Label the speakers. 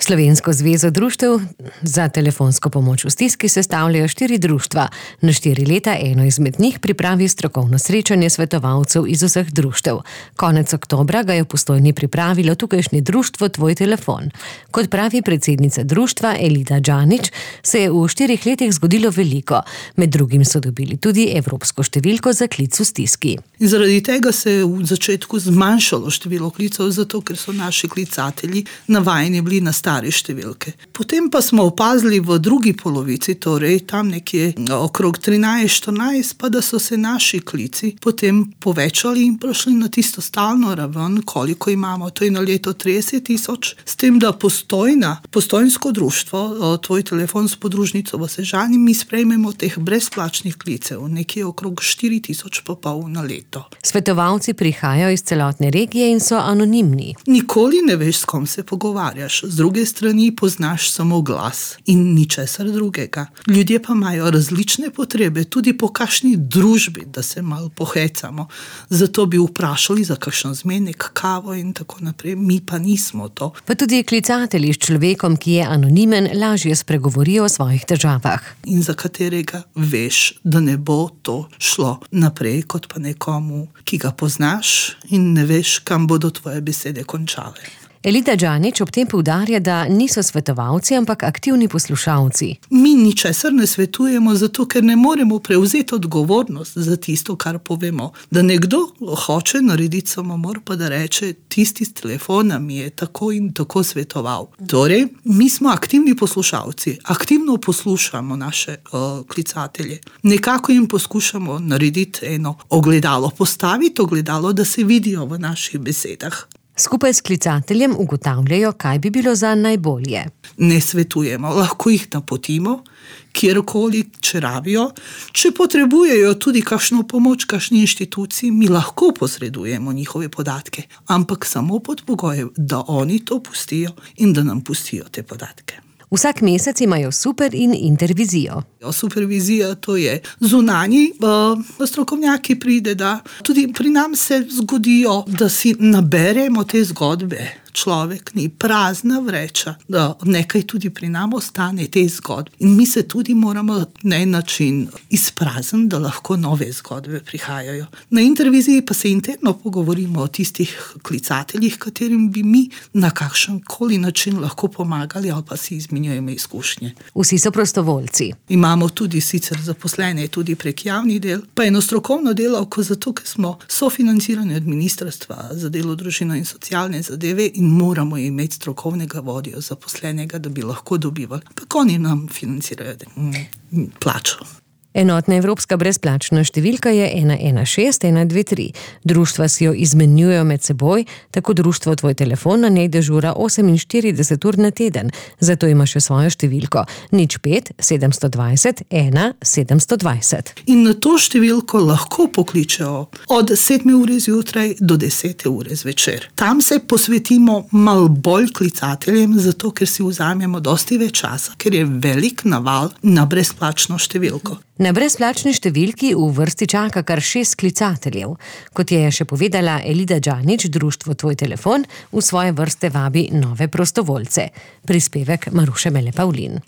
Speaker 1: Slovensko zvezo društev za telefonsko pomoč v stiski sestavljajo 4 društva. Na 4 leta eno izmed njih pripravi strokovno srečanje svetovalcev iz vseh društev. Konec oktobra ga je v Postojni pripravilo tukajšnje društvo Tvoj telefon. Kot pravi predsednica društva Elida Džanić, se je v 4 letih zgodilo veliko. Med drugim so dobili tudi evropsko številko za klic v stiski.
Speaker 2: In zaradi tega se je v začetku zmanjšalo število klicev, zato ker so naši klicatelji navajeni bili na stare številke. Potem pa smo opazili v drugi polovici, torej tam nekje okrog 13-14, pa da so se naši klici potem povečali in prišli na tisto stalno raven, koliko imamo, to je na leto 30.000, s tem, da Postojnsko društvo, Tvoj telefon s podružnico v Sežani, mi sprejmemo teh brezplačnih klicev, nekje okrog 4.500 na leto.
Speaker 1: Svetovalci prihajajo iz celotne regije in so anonimni.
Speaker 2: Nikoli ne veš, s kom se pogovarjaš. Z druge strani poznaš samo glas in ničesar drugega. Ljudje pa imajo različne potrebe, tudi po kakšni družbi, da se malo pohecamo. Zato bi vprašali za kakšen zmenek, kavo in tako naprej. Mi pa nismo to.
Speaker 1: Pa tudi klicatelji s človekom, ki je anonimen, lažje spregovorijo o svojih težavah.
Speaker 2: In za katerega veš, da ne bo to šlo naprej, kot pa nekomu, ki ga poznaš in ne veš, kam bodo tvoje besede končale.
Speaker 1: Elida Džanić ob tem poudarja, da niso svetovalci, ampak aktivni poslušalci.
Speaker 2: Mi ničesar ne svetujemo, zato ker ne moremo prevzeti odgovornost za tisto, kar povemo. Da nekdo hoče narediti samomor, pa da reče, tisti s telefona mi je tako in tako svetoval. Torej, mi smo aktivni poslušalci, aktivno poslušamo naše klicatelje. Nekako jim poskušamo narediti eno ogledalo, postaviti ogledalo, da se vidijo v naših besedah.
Speaker 1: Skupaj s klicateljem ugotavljajo, kaj bi bilo za najbolje.
Speaker 2: Ne svetujemo, lahko jih napotimo, kjerkoli, če rabijo. Če potrebujejo tudi kakšno pomoč, kakšni inštituciji, mi lahko posredujemo njihove podatke, ampak samo pod pogojem, da oni to pustijo in da nam pustijo te podatke.
Speaker 1: Vsak mesec imajo super in intervizijo.
Speaker 2: Supervizija, to je zunanji strokovnjaki pride, da tudi pri nam se zgodijo, da si naberemo te zgodbe. Človek ni prazna vreča, da nekaj tudi pri nam ostane te zgodbe. In mi se tudi moramo na en način izprazniti, da lahko nove zgodbe prihajajo. Na interviziji pa se interno pogovorimo o tistih klicateljih, katerim bi mi na kakšen koli način lahko pomagali ali pa si izmenjujemo izkušnje.
Speaker 1: Vsi so prostovoljci.
Speaker 2: Imamo tudi sicer zaposlene tudi prek javnih del, pa eno strokovno delavko, zato ker smo sofinancirani od Ministrstva za delo, družino in socialne zadeve in moramo imeti strokovnega vodjo zaposlenega, da bi lahko dobivali. Tako oni nam financirajo plačo.
Speaker 1: Enotna evropska brezplačna številka je 116 123. Društva si jo izmenjujejo med seboj, tako društvo Tvoj telefon na njej dežura 48 ur na teden. Zato ima še svojo številko 05 720 1 720.
Speaker 2: In na to številko lahko pokličejo od 7 ure zjutraj do 10 ure zvečer. Tam se posvetimo malo bolj klicateljem, zato ker si vzamemo dosti več časa, ker je velik naval na brezplačno številko.
Speaker 1: Na brezplačni številki v vrsti čaka kar 6 klicateljev. Kot je še povedala Elida Džanić, društvo Tvoj telefon v svoje vrste vabi nove prostovoljce. Prispevek Maruše Mele Pavlin.